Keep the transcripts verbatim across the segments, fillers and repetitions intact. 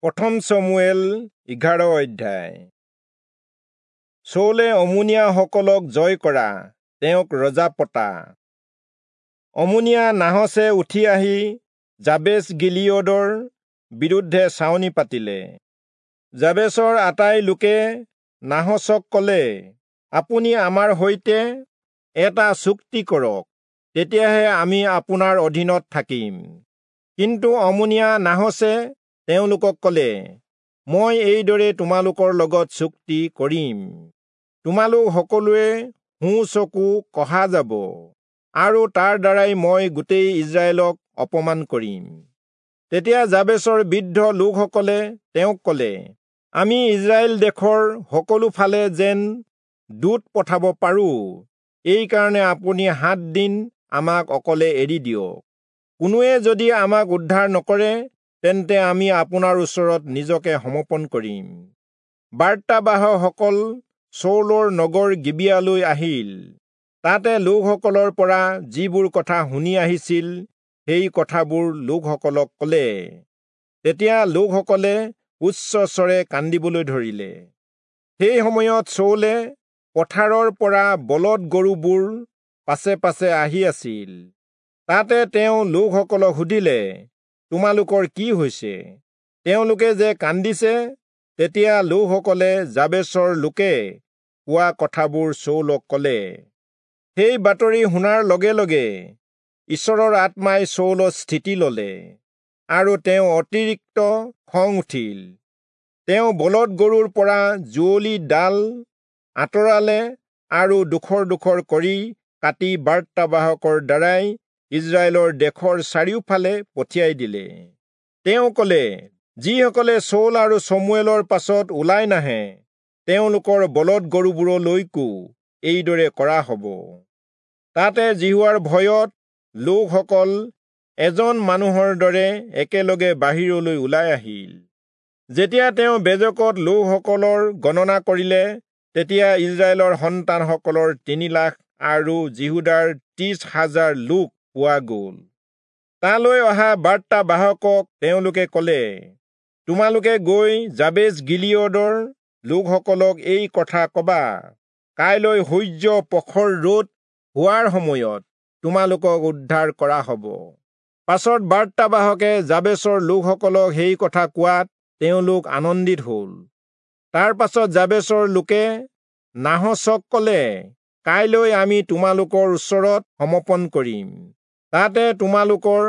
প্ৰথম চমূৱেল এঘাৰ অধ্যায়। চৌলে অমোনীয়াসকলক জয় কৰা, তেওঁক ৰজা পতা। অমোনীয়া নাহচে উঠি আহি যাবেচ গিলিয়দৰ বিৰুদ্ধে ছাউনি পাতিলে। যাবেচৰ আটাই লোকে নাহচক কলে, আপুনি আমাৰ সৈতে এটা চুক্তি কৰক, তেতিয়াহে আমি আপোনাৰ অধীনত থাকিম। কিন্তু অমোনীয়া নাহচে তেওঁলোকক কলে, মই এইদৰে তোমালোকৰ লগত চুক্তি কৰিম, তোমালোক সকলোৱে সোঁ চকু কহা যাব, আৰু তাৰ দ্বাৰাই মই গোটেই ইস্ৰায়েলক অপমান কৰিম। তেতিয়া যাবেচৰ বৃদ্ধ লোকসকলে তেওঁক কলে, আমি ইস্ৰায়েল দেশৰ সকলো ফালে যেন দূত পঠাব পাৰো, এইকাৰণে আপুনি সাত দিন আমাক অকলে এৰি দিয়ক। কোনোৱে যদি আমাক উদ্ধাৰ নকৰে, তেন্তে আমি আপোনাৰ ওচৰত নিজকে সমৰ্পণ কৰিম। বাৰ্তাবাহকসকল চৌলৰ নগৰ গিবিয়ালৈ আহিল। তাতে লোকসকলৰ পৰা যিবোৰ কথা শুনি আহিছিল, সেই কথাবোৰ লোকসকলক কলে। তেতিয়া লোকসকলে উচ্চস্বৰে কান্দিবলৈ ধৰিলে। সেই সময়ত চৌলে পথাৰৰ পৰা বলদ গৰুবোৰ পাছে পাছে আহি আছিল। তাতে তেওঁ লোকসকলক সুধিলে, তোমালোকৰ কি হৈছে? তেওঁলোকে যে কান্দিছে? তেতিয়া লোকসকলে যাবেচৰ লোকে কোৱা কথাবোৰ চৌলক কলে। সেই বাতৰি শুনাৰ লগে লগে ঈশ্বৰৰ আত্মাই চৌলত স্থিতি ললে, আৰু তেওঁ অতিৰিক্ত খং উঠিল। তেওঁ বলদ গৰুৰ পৰা যুঁৱলি ডাল আঁতৰালে আৰু ডোখৰ ডোখৰ কৰি কাটি বাৰ্তাবাহকৰ দ্বাৰাই ইস্ৰায়েলৰ দেশৰ চাৰিওফালে পঠিয়াই দিলে। তেওঁ কলে, যিসকলে চৌল আৰু চমূৱেলৰ পাছত ওলাই নাহে, তেওঁলোকৰ বলদ গৰুবোৰলৈকো এইদৰে কৰা হব। তাতে যিহোৱাৰ ভয়ত লোকসকল এজন মানুহৰ দৰে একেলগে বাহিৰলৈ ওলাই আহিল। যেতিয়া তেওঁ বেজকত লোকসকলৰ গণনা কৰিলে, তেতিয়া ইস্ৰায়েলৰ সন্তানসকলৰ তিনি লাখ আৰু যিহূদাৰ ত্ৰিশ হাজাৰ লোক পোৱা গ'ল। তালৈ অহা বাৰ্তাবাহকক তেওঁলোকে কলে, তোমালোকে গৈ যাবেচ গিলিয়দৰ লোকসকলক এই কথা কবা, কাইলৈ সূৰ্য প্ৰখৰ ৰ'দ হোৱাৰ সময়ত তোমালোকক উদ্ধাৰ কৰা হব। পাছত বাৰ্তাবাহকে যাবেচৰ লোকসকলক সেই কথা কোৱাত তেওঁলোক আনন্দিত হল। তাৰ পাছত যাবেচৰ লোকে নাহচক কলে, কাইলৈ আমি তোমালোকৰ ওচৰত সমৰ্পণ কৰিম, তাতে তোমালোকৰ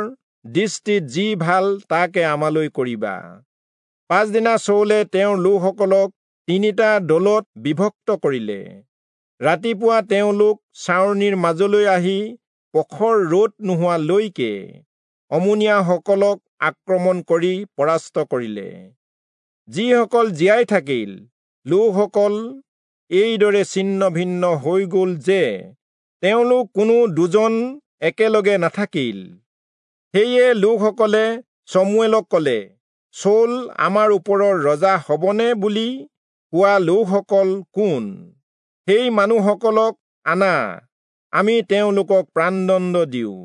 দৃষ্টিত যি ভাল তাকে আমালৈ কৰিবা। পাছদিনা চৌলে তেওঁৰ লোকসকলক তিনিটা দলত বিভক্ত কৰিলে। ৰাতিপুৱা তেওঁলোক ছাউনিৰ মাজলৈ আহি প্ৰখৰ ৰ'দ নোহোৱালৈকে অমোনীয়াসকলক আক্ৰমণ কৰি পৰাস্ত কৰিলে। যিসকল জীয়াই থাকিল, লোকসকল এইদৰে ছিন্ন ভিন্ন হৈ গ'ল যে তেওঁলোক কোনো দুজন একেলগে নাথাকিল। সেয়ে লোকসকলে চমূৱেলক কলে, চৌল আমাৰ ওপৰৰ ৰজা হবনে বুলি কোৱা লোকসকল কোন? সেই মানুহসকলক আনা, আমি তেওঁলোকক প্ৰাণদণ্ড দিওঁ।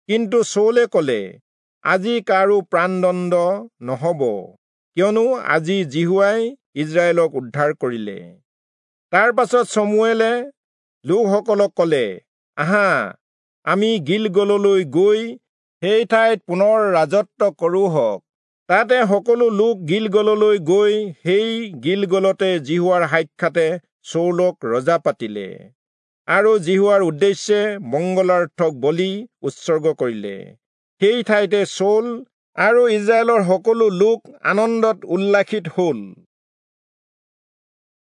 কিন্তু চৌলে কলে, আজি কাৰো প্ৰাণদণ্ড নহব, কিয়নো আজি যিহোৱাই ইস্ৰায়েলক উদ্ধাৰ কৰিলে। তাৰ পাছত চমূৱেলে লোকসকলক কলে, আহা, আমি গিলগললৈ গৈ সেই ঠাইত পুনৰ ৰাজত্ব কৰোঁহক। তাতে সকলো লোক গিলগললৈ গৈ সেই গিলগলতে যিহোৱাৰ সাক্ষাতে চৌলক ৰজা পাতিলে, আৰু যিহোৱাৰ উদ্দেশ্যে মংগলাৰ্থক বলি উৎসৰ্গ কৰিলে। সেই ঠাইতে চৌল আৰু ইস্ৰায়েলৰ সকলো লোক আনন্দত উল্লাসিত হল।